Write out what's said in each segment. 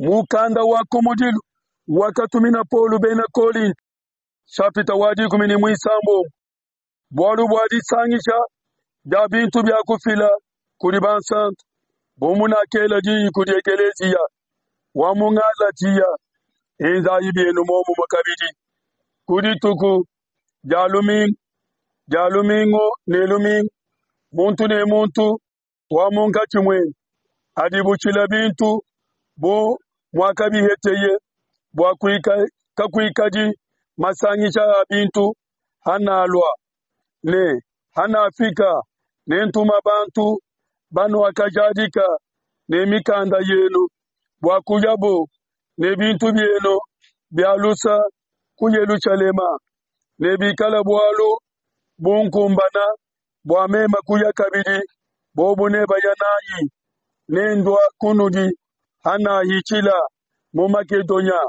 Mukanda wa kumudilu wakatumina Paulo bena Kolinto, shapita wa dikumi ne muisambombo, bualu bua disangisha dia bintu bia kufila kudi bansanto, bu munakela diyi kudi ekeleziya wa mu Galatia, enzayi bienu muomumue kabidi ku dituku dia lumingu dia lumingu ne lumingu, muntu ne muntu wa munkatshi muenu adibutshila bintu bu muakabiheteye, bua kakuikadi masangisha a bintu hanalua ne hanafika, nentuma bantu banuakajadika ne mikanda yenu bua kuyabo ne bintu bienu bia lusa ku Yelushalema, ne bikala bualu bunkumbana bua meme kuya kabidi, bobo nebaya nanyi, nendua kunudi hanahitshila mu Makedonia,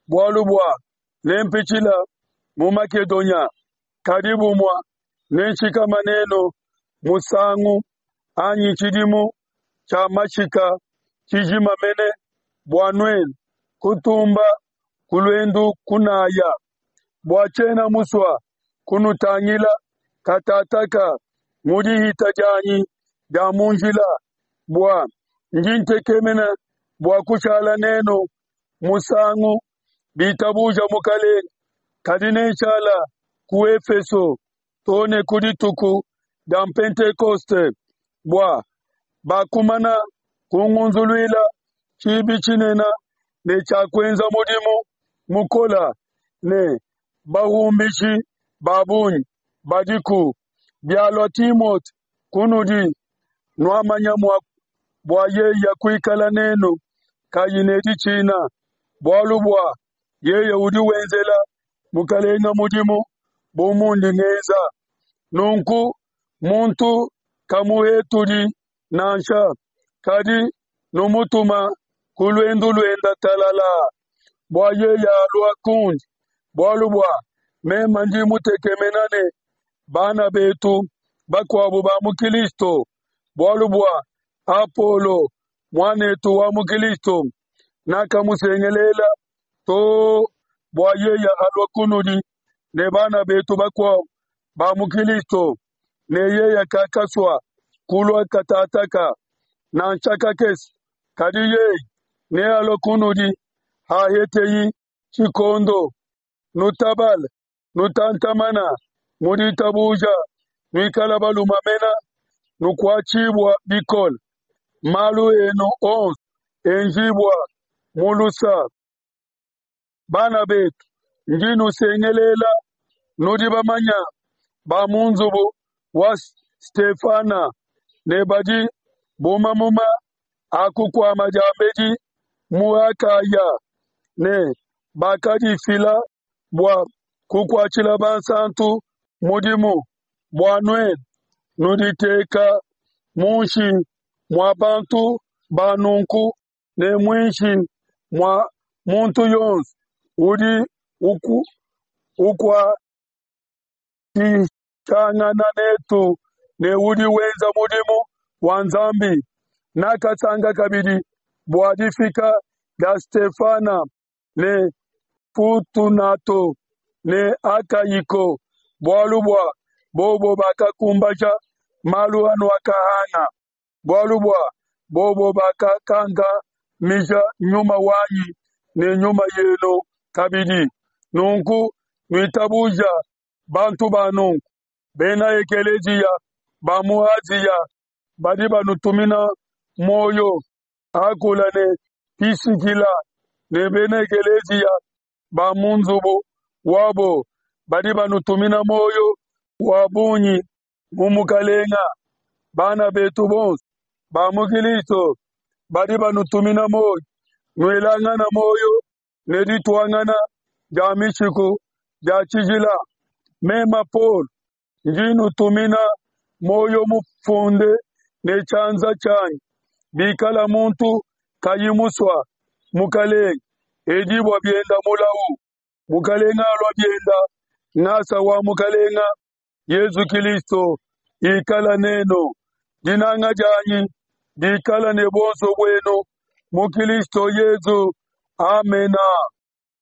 bualu bua nempitshila mu Makedonia, kadi bumua nenshikama nenu musangu anyi tshidimu tshia mashika tshijima mene, bua nuenu kutumba ku luendu kunaya, bua tshiena musua kunutangila katataka mu dihita dianyi dia mu njila, bua ndi ntekemena bua kushala nenu musangu bitabuja Mukalenge, kadi nenshala ku Efeso too ne ku dituku dia Pentekoste, bua bakumana kungunzuluila tshibi tshinene ne tshia kuenza mudimu mukola ne bahumbishi ba bungi badiku. Bialua Timote kunudi, nuamanya mua bua yeye kuikala nenu kayi ne ditshina, bualu bua yeye udi wenzela Mukalenga mudimu bu mundi ngenza. Nunku muntu kamuhetudi nansha, kadi numutuma ku luendu luenda talalaa, bua yeye alua kundi, bualu bua meme ndi mutekemena ne bana betu bakuabu ba mu Kilisto, bualu bua Apolo muanetu wa mu Kilisto nakamusengelela too bua yeye alua kunudi ne bana betu bakuabu ba mu Kilisto, ne yeye kakasua kulua katataka nansha kakese, kadi yeye nealue kunudi haheteyi tshikondo. Nutabale, nutantamana mu ditabuja, nuikala balume mena, nukuatshibua bikole, malu enu onso enjibua mu lusa. Bana betu, ndi nusengelela, nudi bamanya ba mu nzubu wa Stefana ne badi bu mamuma a kukuama diambedi mu Akaya, ne bakadifila bua kukuatshila bansantu mudimu, bua nuenu nuditeka munshi mua bantu ba nunku ne muinshi mua muntu yonso udi ukuatshishangana netu ne udi wenza mudimu wa Nzambi. Nakasanka kabidi bua difika dia Stefana ne Fortunato ne Akaiko, bualu bua bobo bakakumbaja malu anuakahanga, bualu bua bobo bakakankamija nyuma wanyi ne nyuma yenu kabidi. Nunku nuitabuja bantu ba nunku. Bena ekeleziya ba mu Asia badi banutumina muoyo. Akula ne Pisikila ne bena ekeleziya ba mu nzubu wabo badi banutumina muoyo wa bungi mu Mukalenga. Bana betu bonso ba mu Kilisto badi banutumina muoyo. Nuelangana muoyo ne dituangana dia mishiku dia tshijila. Mema Paulo ndi nutumina muoyo mufunde ne tshianza tshianyi. Bikala muntu kayi musua Mukalenge, edibua bienda mulawu. Mukalenge alua bienda, ngasa wa Mukalenge Yezu Kilisto ikala nenu. Dinanga dianyi dikala ne buonso buenu. mu Kilisto Yezu. Amena.